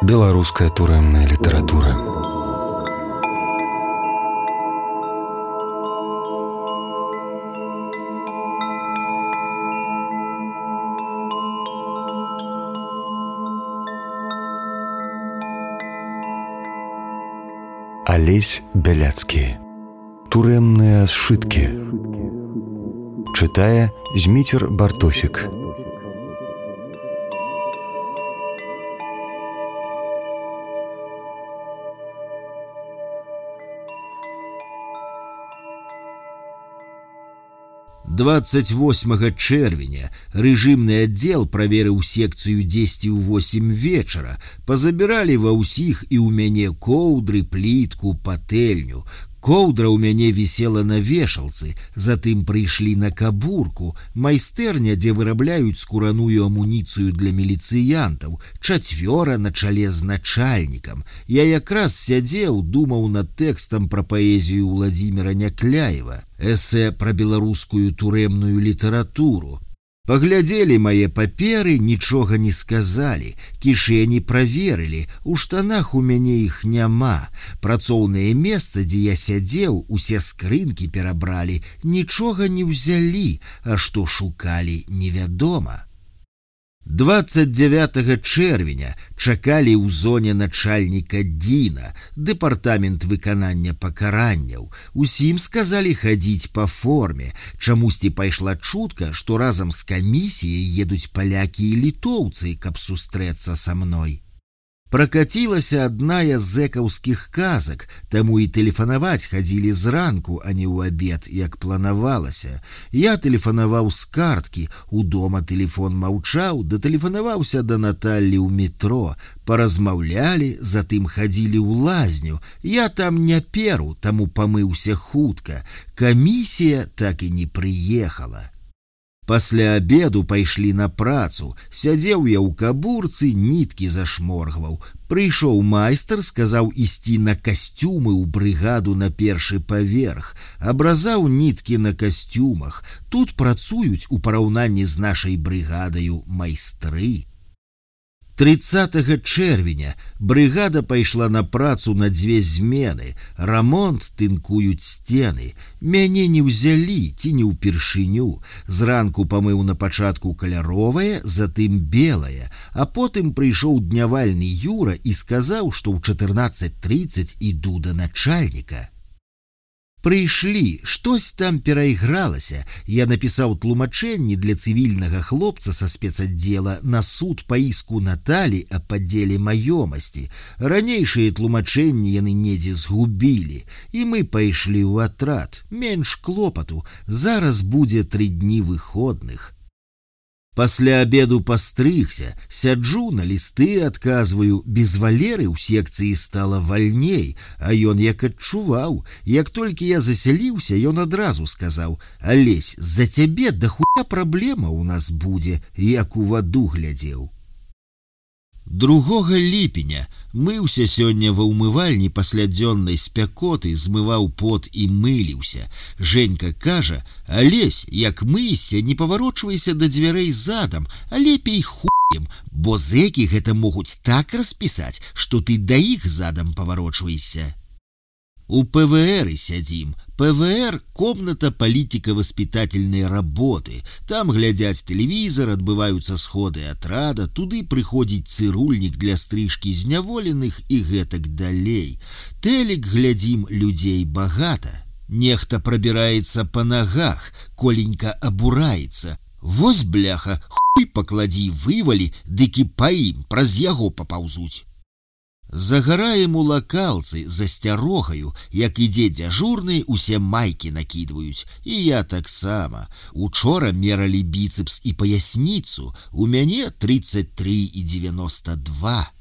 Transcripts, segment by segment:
Беларуская турэмная літаратура. Алесь Бяляцкі. Турэмныя сшыткі. Чытае Зміцер Бартосік. Двадцать 28 чэрвеня рэжымны аддзел праверыў секцыю 10 ў 8 вечара, пазабіралі ва ўсіх і ў мяне коўдры, плітку, патэльню. Коўдра ў мяне вісела на вешалцы, затым прыйшлі на кабурку, майстэрня, дзе вырабляюць скураную амуніцыю для міліцыянтаў, 4 на чале з начальнікам. Я якраз сядзеў, думаў над тэкстам пра паэзію Владзіміра Някляева, эсэ пра беларускую турэмную літаратуру. Паглядзелі мае паперы, нічога не сказалі, кішэні праверылі, у штанах у мяне іх няма. Працоўнае месца, дзе я сядзеў, усе скрынкі перабралі, нічога не ўзялі, а што шукалі, невядома. 29 чэрвеня чакалі ў зоне начальніка ДІНа, дэпартамент выканання пакаранняў. Усім сказалі хадзіць па форме. Чамусьці пайшла чутка, што разам з камісіяй едуць палякі і літоўцы, каб сустрэцца са мной. Пракацілася адна з зэкаўскіх казак, таму і тэлефанаваць хадзілі зранку, а не ў абед, як планавалася. Я тэлефанаваў з карткі, удома тэлефон маўчаў, датэлефанаваўся да Наталлі ў метро, паразмаўлялі, затым хадзілі ў лазню. Я там не перу, таму памыўся хутка. Камісія так і не прыехала. Пасля абеду пайшлі на працу. Сядзеў я ў кабурцы, ніткі зашморгваў. Прыйшоў майстар, сказаў ісці на касцюмы ў брыгаду на першы паверх. Абразаў ніткі на касцюмах. Тут працуюць у параўнанні з нашай брыгадаю майстры. 30 чэрвеня брыгада пайшла на працу на 2 змены. Рамонт, тынкуюць сцены. Мяне не ўзялі, ці не ўпершыню. Зранку памыў на пачатку каляровае, затым белае, а потым прыйшоў днявальны Юра і сказаў, што ў 14:30 іду да начальніка. Прыйшлі, штось там перайгралася. Я напісаў тлумачэнні для цывільнага хлопца са спецаддзела на суд па іску Наталі аб падзеле маёмасці. Ранейшыя тлумачэнні яны недзе згубілі, і мы пайшлі ў атрад. Менш клопату, зараз будзе 3 дні выходных. Пасля абеду пастрыгся, сяджу, на лісты адказваю, без Валеры ў секцыі стала вальней, а ён як адчуваў. Як толькі я засяліўся, ён адразу сказаў: «Алесь, за цябе да хуя праблема ў нас будзе», як у ваду глядзеў. 2 ліпеня мыўся сёння ва ўмывальні пасля дзённай спякоты, змываў пот і мыліўся. Женька кажа: «Алесь, як мыйся, не паварочвайся да дзвярэй задам, а лепей хуем, бо зэкі гэта могуць так распісаць, што ты да іх задам паварочвайся». У ПВР сядзім. ПВР – комната политико-воспитательной работы. Там глядзяць тэлевізор, адбываюцца сходы атрада, туды прыходзіць цырульнік для стрыжкі зняволеных і гэтак далей. Тэлек глядзім, людзей багата. Нехта прабіраецца па нагах, Коленька абураецца. Вось, бляха, хуй пакладзі, вывалі, дык і па ім праз яго папаўзуць. Загараем у лакалцы, за сцярогаю, як ідзе дзяжурны, усе майкі накідваюць, і я таксама. Учора мералі біцэпс і паясніцу, у мяне 33,92.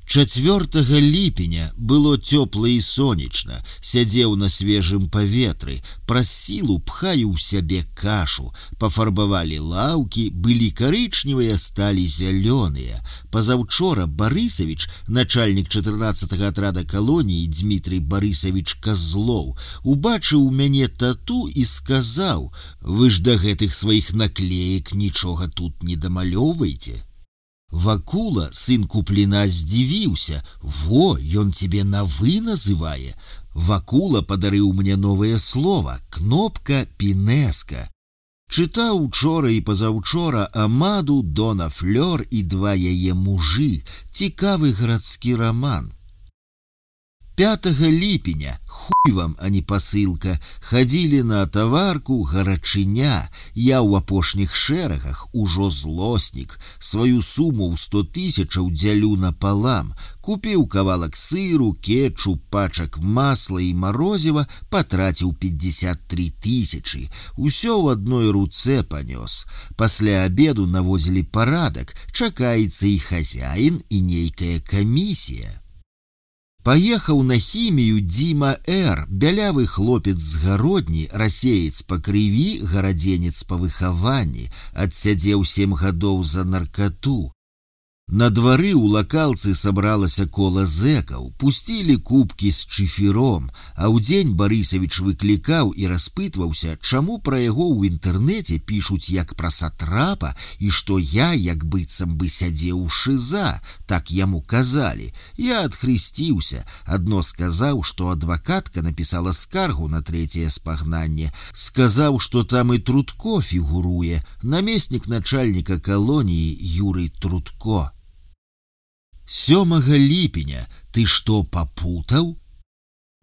4 ліпеня было цёпла і сонечна, сядзеў на свежым паветры, праз сілу пхаю ў сябе кашу, пафарбавалі лаўкі, былі карычневыя, сталі зялёныя. Пазаўчора Барысавіч, начальнік 14-го атрада калоніі Дмітрий Барысавіч Козлоў, убачыў у мяне тату і сказаў: «Вы ж да гэтых сваіх наклеек нічога тут не дамалёўваеце». Вакула, сын Купліна, здзівіўся: «Во, ён тебе на «вы» называе». Вакула падарыў мне новае слова — кнопка «пінеска». Чытаў учора і пазаўчора Амаду, Дона Флёр і два яе мужы. Цікавы гарадскі раман. 5 ліпеня, хуй вам, а не пасылка, хадзілі на таварку гарачыня. Я ў апошніх шэрагах, ужо злоснік. Сваю суму ў 100 000 дзялю напалам. Купіў кавалак сыру, кетчуп, пачак масла і марозіва, патраціў 53 000. Усё ў адной руцэ панёс. Пасля абеду наводзілі парадак, чакаецца і хазяін, і нейкая камісія. Паехаў на хімію Дзіма Р., бялявы хлопец з гародні, расеец па крыві, гарадзенец па выхаванні, адсядзеў 7 гадоў за наркату. На двары ў лакалцы сабралася кола зэкаў, пусцілі кубкі з чыфіром, а ўдзень Барысавіч выклікаў і распытваўся, чаму пра яго ў інтэрнэце пішуць як пра сатрапа і што я як быццам бы сядзеў у ШИЗА, так яму казалі. Я адхрысціўся, адно сказаў, што адвакатка напісала скаргу на 3-е спагнанне, сказаў, што там і Трутко фігуруе, намеснік начальніка калоніі Юрый Трутко. 7 ліпеня, ты што, папутаў?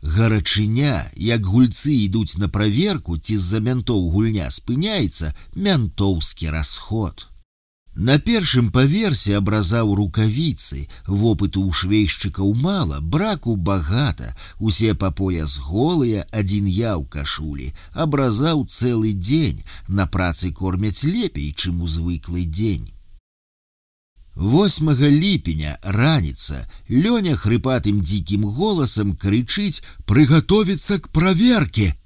Гарачыня, як гульцы ідуць на праверку, ці з-за мянтоў гульня спыняецца, мянтоўскі расход. На першым паверсе абразаў рукавіцы, вопыту ў швейшчыкаў мала, браку багата, усе па пояс голыя, адзін я ў кашулі, абразаў цэлы дзень, на працы кормяць лепей, чым у звыклы дзень. 8 ліпеня, раніца, Лёня хрыпатым дзікім голасам крычыць: «Прыгатовіцца к праверке!»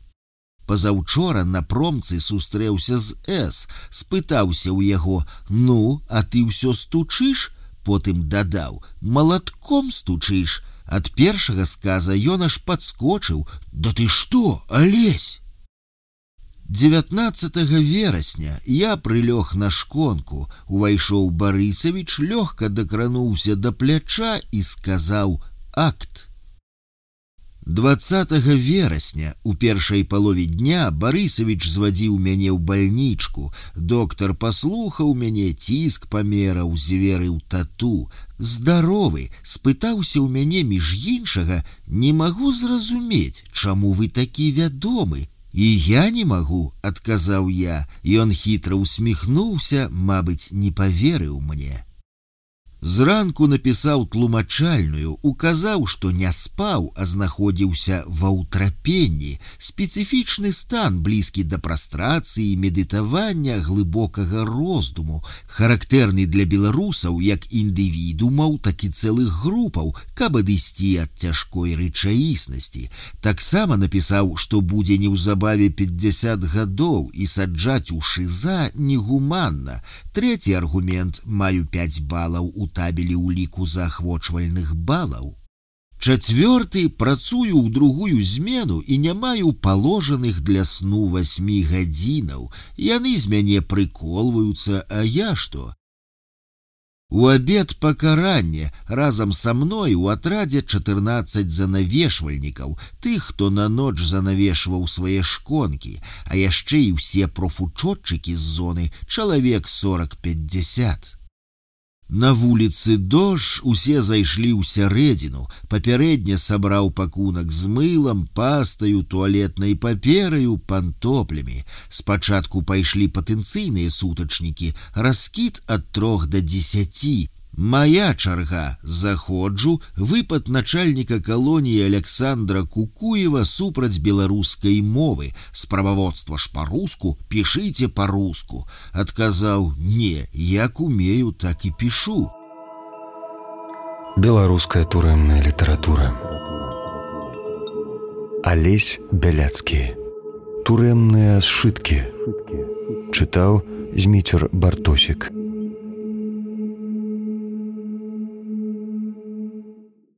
Пазаўчора на промцы сустрэўся з С, спытаўся ў яго: «Ну, а ты ўсё стучыш?» Потым дадаў: «Малатком стучыш?» Ад першага сказа ён аж падскочыў: «Да ты што, Алесь?» 19 верасня я прылёг на шконку, увайшоў Барысавіч, лёгка дакрануўся да пляча і сказаў: «Акт». 20 верасня, у першай палове дня, Барысавіч звадзіў мяне ў бальнічку. Доктар паслухаў мяне, ціск памераў, зверыў тату. Здаровы, спытаўся ў мяне між іншага: «Не магу зразумець, чаму вы такі вядомы?» «І я не магу», — адказаў я. Ён хітра усміхнуўся, мабыць, не паверыў мне. Зранку напісаў тлумачальную, указаў, што не спаў, а знаходзіўся ва ўтрапенні. Спецыфічны стан, блізкі да прастрацыі, медытавання, глыбокага роздуму, характэрны для беларусаў як індывідумаў, так і цэлых групаў, каб адысці ад цяжкой рэчаіснасці. Таксама напісаў, што будзе неўзабаве 50 гадоў і саджаць у ШИЗА негуманна. Трэці аргумент: маю 5 балаў у табелі ўліку заахвочвальных балаў. 4. Працую ў другую змену і не маю паложаных для сну 8 гадзінаў. Яны з мяне прыколваюцца, а я што? У абед пакаранне, разам са мной у атрадзе 14 занавешвальнікаў, тых, хто на ноч занавешваў свае шконкі, а яшчэ і ўсе профучотчыкі з зоны, чалавек 40-50. На вуліцы дождж, усе зайшлі ў сярэдзіну, папярэдне сабраў пакунак з мылам, пастаю, туалетнай папераю, пантоплямі. Спачатку пайшлі патэнцыйныя сутачнікі, раскід ад 3 до 10. Моя чарга, заходжу, выпад начальніка калоніі Александра Кукуева супраць беларускай мовы. Справаводства ж па-руску, пішыце па-руску. Адказаў: «Не, як умею, так і пішу». Беларуская турэмная літаратура. Алесь Бяляцкі. Турэмныя сшыткі. Чытаў Зміцер Бартосік.